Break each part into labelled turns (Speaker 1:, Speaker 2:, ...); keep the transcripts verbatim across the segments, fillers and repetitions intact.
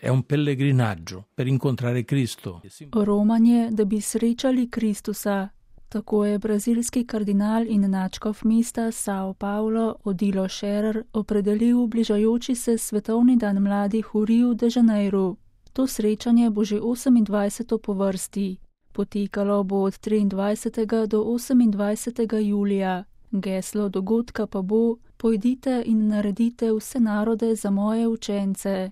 Speaker 1: È un pellegrinaggio per incontrare Cristo.
Speaker 2: Romanje, da bi srečali Kristusa. Tako je brazilski kardinal in nadškof mesta São Paulo Odilo Scherer opredelil bližajoči se svetovni dan mladih v Riu de Janeiro. To srečanje bo že osemindvajseto po vrsti. Potekalo bo od triindvajsetega do osemindvajsetega julija. Geslo dogodka pa bo: Pojdite in naredite vse narode za moje učence.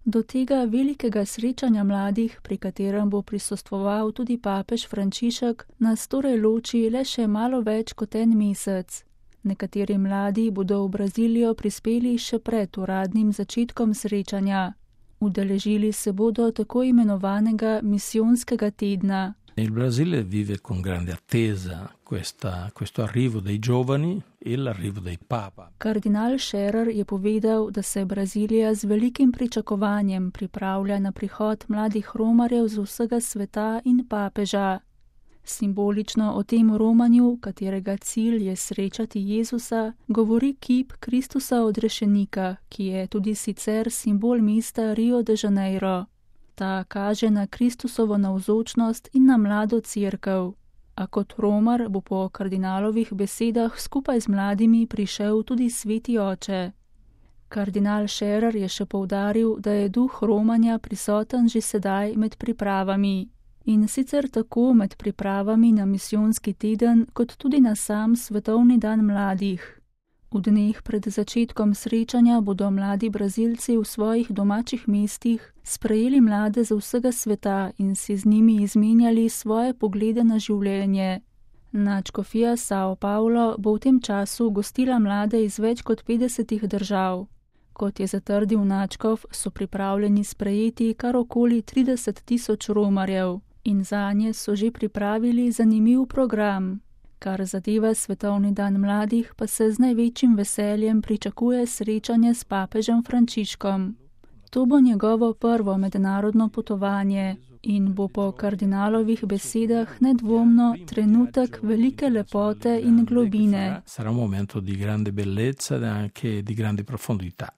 Speaker 2: Do tega velikega srečanja mladih, pri katerem bo prisostvoval tudi papež Frančišek, nas torej loči le še malo več kot en mesec. Nekateri mladi bodo v Brazilijo prispeli še pred uradnim začetkom srečanja. Udeležili se bodo tako imenovanega misijonskega tedna.
Speaker 1: Il Brasile vive con grande attesa questa, questo arrivo dei giovani e l'arrivo dei papa.
Speaker 2: Kardinal Scherer je povedal, da se Brazilija z velikim pričakovanjem pripravlja na prihod mladih romarjev z vsega sveta in papeža. Simbolično o tem romanju, katerega cilj je srečati Jezusa, govori kip Kristusa odrešenika, ki je tudi sicer simbol mesta Rio de Janeiro. Ta kaže na Kristusovo navzočnost in na mlado cerkev. A kot romar bo po kardinalovih besedah skupaj z mladimi prišel tudi sveti oče. Kardinal Scherer je še poudaril, da je duh romanja prisoten že sedaj med pripravami. In sicer tako med pripravami na misijonski teden, kot tudi na sam svetovni dan mladih. V dneh pred začetkom srečanja bodo mladi Brazilci v svojih domačih mestih sprejeli mlade z vsega sveta in si z njimi izmenjali svoje poglede na življenje. Nadškofija São Paulo bo v tem času gostila mlade iz več kot petdesetih držav. Kot je zatrdil nadškof, so pripravljeni sprejeti kar okoli trideset tisoč romarjev in zanje so že pripravili zanimiv program. Kar zadeva svetovni dan mladih, pa se z največjim veseljem pričakuje srečanje s papežem Frančiškom. To bo njegovo prvo mednarodno potovanje in bo po kardinalovih besedah nedvomno trenutek velike lepote in globine.
Speaker 1: Sarà un momento di grande bellezza e anche di grande profondità.